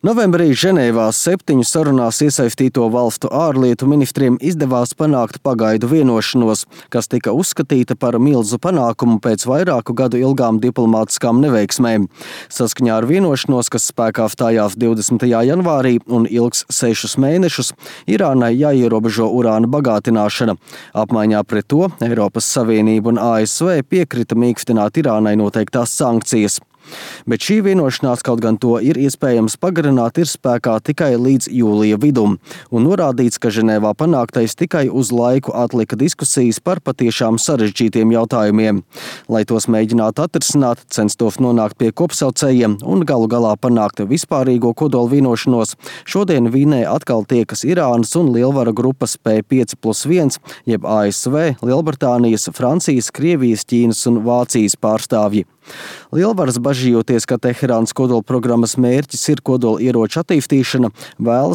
Novembrī Ženēvā 7 sarunās iesaistīto valstu ārlietu ministriem izdevās panākt pagaidu vienošanos, kas tika uzskatīta par milzu panākumu pēc vairāku gadu ilgām diplomātiskām neveiksmēm. Saskaņā ar vienošanos, kas spēkā stājās 20. janvārī un ilgs 6 mēnešus, Irānai jāierobežo urāna bagātināšana. Apmaiņā pret to Eiropas Savienība un ASV piekrita mīkstināt Irānai noteiktās sankcijas. Bet šī vienošanās, kaut gan to ir iespējams pagarināt, ir spēkā tikai līdz jūlija vidum, un norādīts, ka Ženēvā panāktais tikai uz laiku atlika diskusijas par patiešām sarežģītiem jautājumiem. Lai tos mēģinātu atrisināt, censtos nonākt pie kopsaucējiem un galu galā panākt vispārīgo kodola vienošanos, šodien Vīnē atkal tiekas Irānas un lielvaru grupas P5+1, jeb ASV, Lielbritānijas, Francijas, Krievijas, Ķīnas un Vācijas pārstāvji. Lielvaras bažījoties, ka Teherānas kodolprogrammas mērķis ir kodola ieroču attīstīšana, vēlas